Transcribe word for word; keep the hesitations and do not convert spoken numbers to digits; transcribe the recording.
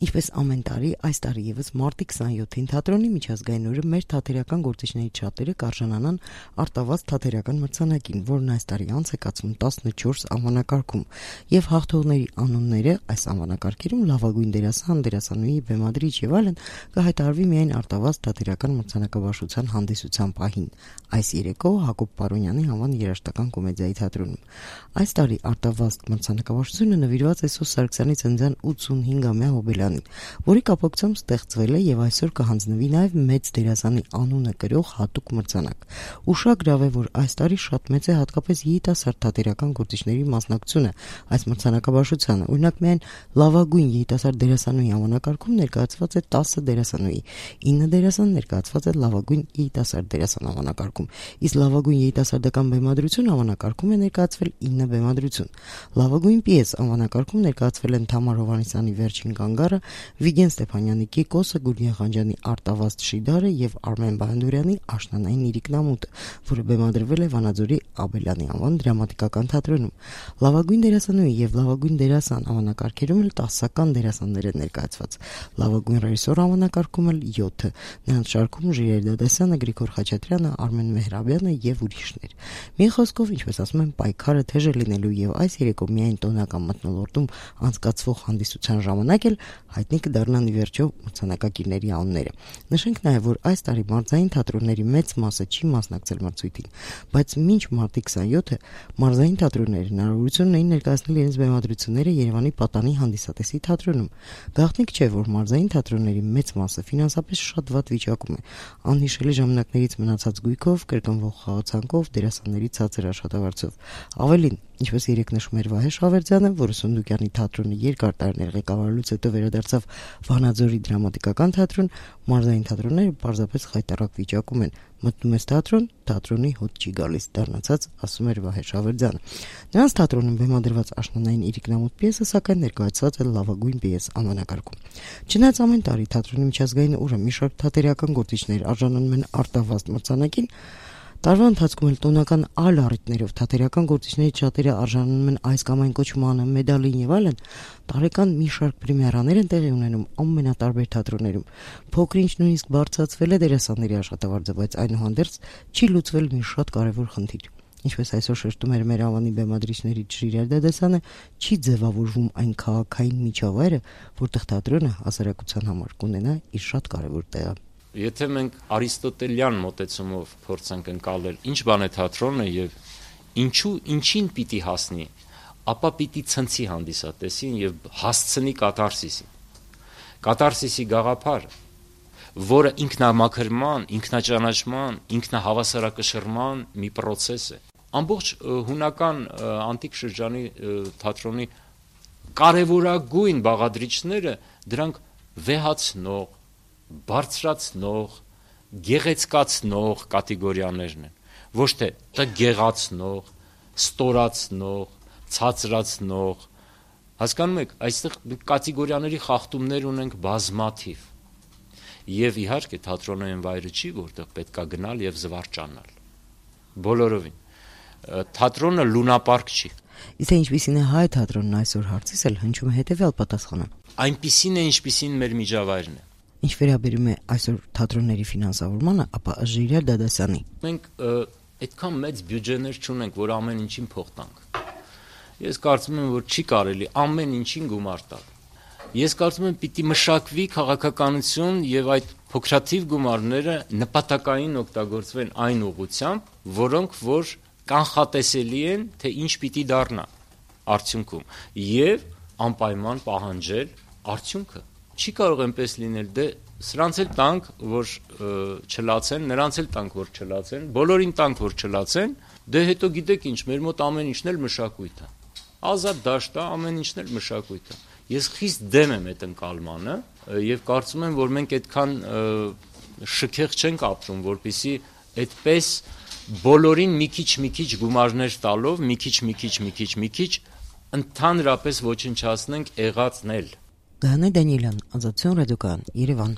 Ինչպես ամեն տարի, այս տարի եւս մարտի քսանյոթին թատրոնի միջազգային օրը մեր թատերական գործիչներից շատերը կարժանանան արտավազդ թատերական մրցանակին, որն այս տարի անց է կացվում տասնչորս անվանակարգում, եւ հաղթողների անունները այս անվանակարգերում լավագույն դերասան, դերասանուհի, բեմադրիչ եւ այլն կհայտարարվի միայն արտավազդ թատերական մրցանակաբաշխության հանդիսության պահին։ Այս երեկո Հակոբ Պարոնյանի անվան երաժշտական կոմեդիայի թատրոնում։ Այս տարի արտավազդ մրցանակաբաշխությունը նվիրված է Սոս Սարգսյանի ծննդյան ութսունհինգամյա հոբելյանին, որի կապակցությամբ ստեղծվել է եւ այսօր կհանձնվի նաեւ մեծ դերասանի անունը կրող հատուկ մրցանակ։ Ուշագրավ է, որ այս տարի շատ մեծ է հատկապես երիտասարդ թատերական գործիչների մասնակցությունը այս մրցանակաբաշխությանը։ Օրինակ, միայն լավագույն երիտասարդ դերասանուհի անվանակարգում ներկայացված է տասը դերասանուհի, ինը դերասան ներկայացված է լավագույն երիտասարդ դերասան անվանակարգում, իսկ լավագույն երիտասարդական բեմադրություն անվանակարգում է ներկայացվել ինը բեմադրություն։ Լավագույն պիես անվանակարգում ներկայացվել են Թամար Հովհաննիսյանի Վերջին կանգառը, Վիգեն Ստեփանյանի Կիկոսը, Գուրգեն Խանջյանի Արտավազդ Շիդարը եւ Արմեն Բահանդուրյանի Աշնանային իրիկնամուտը, որը բեմադրվել է Վանաձորի Աբելյանի անվան դրամատիկական թատրոնում։ Լավագույն դերասանուհի եւ լավագույն դերասան անվանակարգերում էլ տասական դերասաններ են ներկայացված։ Լավագույն ռեժիսոր անվանակարգում էլ յոթը, նրանց շարքում Ժիրայր Դադասյանը, Գրիգոր Խաչատրյանը, Արմեն Մեհրաբյանը եւ ուրիշներ։ Մի խոսքով, ինչպես ասում են, պայքարը թեժ է լինելու եւ այս երեկո միայն տոնական մթնոլորտում անցկացվող հանդիսության ժամանակ էլ հայտնի կդառնան ի վերջո մրցանակակիրների անունները։ Նշենք նաեւ, որ այս տարի մարզային թատրոնների մեծ մասը չի մասնակցել մրցույթին, բայց մինչ մարտի քսանյոթը մարզային թատրոնները հնարավորություն ունեին ներկայացնել իրենց բեմադրությունները Երևանի Պատանի հանդիսատեսի թատրոնում։ Գաղտնիք չէ, որ մարզային թատրոնների մեծ մասը ֆինանսապես շատ վատ վիճակում է, անհիշելի ժամանակներից մնացած գույքով, կրկնվող խաղացանկով, դերասանների ցածր աշխատավարձով։ Ավելին, ինչպես երեք նշում էր Վահե Շավերդյանը, որը Սունդուկյանի թատրոնի երկար տարիներ ղեկավարելուց հետո վերադարձավ Վանաձորի դրամատիկական թատրոն, մարզային թատրոնները պարզապես խայտառակ վիճակում են։ Մտնում ես թատրոն, թատրոնի հոտ չի գալիս, դառնացած, ասում էր Վահե Շավերդյանը։ Նրանց թատրոնում բեմադրված Աշնանային իրիկնամուտ պիեսը սակայն ներկայացված է լավագույն պիես անվանակարգում։ Չնայած ամեն տարի թատրոնի միջազգային օրը մի շարք թատերական գործիչներ արժանանում են արտավազդ մրցանակին, տարվա ընթացքում էլ տոնական այլ առիթներով թատերական գործիչներից շատերը արժանանում են այս կամ այն կոչմանը, մեդալին եւ այլն, տարեկան մի շարք պրեմիերաներ են տեղի ունենում ամենատարբեր թատրոններում։ Փոքր-ինչ նույնիսկ բարձրացվել է դերասանների աշխատավարձը, բայց այնուհանդերձ չի լուծվել մի շատ կարևոր խնդիր։ Ինչպես այսօր շեշտում էր մեր անվանի բեմադրիչներից Ժիրայր Դադասյանը, չի ձևավորվում այն քաղաքային միջավայրը, որտեղ թատրոնը հասարակության համար կունենա իր շատ կարևոր տեղը։ Եթե մենք արիստոտելյան մոտեցումով փորձենք ընկալել ինչ բան է թատրոնը եւ ինչու ինչին պիտի հասնի, ապա պիտի ցնցի հանդիսատեսին եւ հասցնի կաթարսիսին։ Կաթարսիսի գաղափարը, որը ինքնամաքրման, ինքնաճանաչման, ինքնահավասարակշռման մի process է։ Ամբողջ հունական անտիկ շրջանի թատրոնի կարևորագույն բաղադրիչները դրանք վեհացնող, բարձրացնող, գեղեցկացնող կատեգորիաներն են, ոչ թե տգեղացնող, ստորացնող, ցածրացնող, հասկանում եք, այստեղ կատեգորիաների խախտումներ ունենք բազմաթիվ, եւ իհարկե թատրոնը այն վայրը չի, որտեղ պետք է գնալ եւ զվարճանալ, բոլորովին, թատրոնը լունապարկ չի։ Իսկ ինչպիսին է հայ թատրոնն այսօր, հարցիս էլ հնչում է հետեւյալ պատասխանը։ Այնպիսին է, ինչպիսին մեր միջավայրն է։ Ինչ վերաբերում է այսօր թատրոնների ֆինանսավորմանը, ապա Ժիրայր Դադասյանի։ Մենք այդքան մեծ բյուջեներ չունենք, որ ամեն ինչին փող տանք։ Ես կարծում եմ, որ չի կարելի ամեն ինչին գումար տալ։ Ես կարծում եմ, պիտի մշակվի քաղաքականություն եւ այդ փոքրաթիվ գումարները նպատակային օգտագործվեն այն ուղղությամբ, որոնք որ կանխատեսելի են, թե ինչ պիտի դառնա արդյունքում եւ անպայման պահանջել արդյունքը։ Չի կարող այնպես լինել, դե սրանց էլ տանք, որ չլացեն, նրանց էլ տանք, որ չլացեն, բոլորին տանք, որ չլացեն, դե հետո գիտեք ինչ, մեր մոտ ամեն ինչն էլ մշակույթ է։ Ազատ դաշտ է, ամեն ինչն էլ մշակույթ է։ Ես խիստ դեմ եմ այդ ընկալմանը եւ կարծում եմ, որ մենք այդքան շքեղ չենք ապրում, որպեսզի այդպես բոլորին մի քիչ մի քիչ գումարներ տալով, մի քիչ մի քիչ մի քիչ մի քիչ ընդհանրապես ոչնչացնենք եղածն էլ։ Գայանե Դանիելյան, Ազատություն ռադիոկայան, Երևան։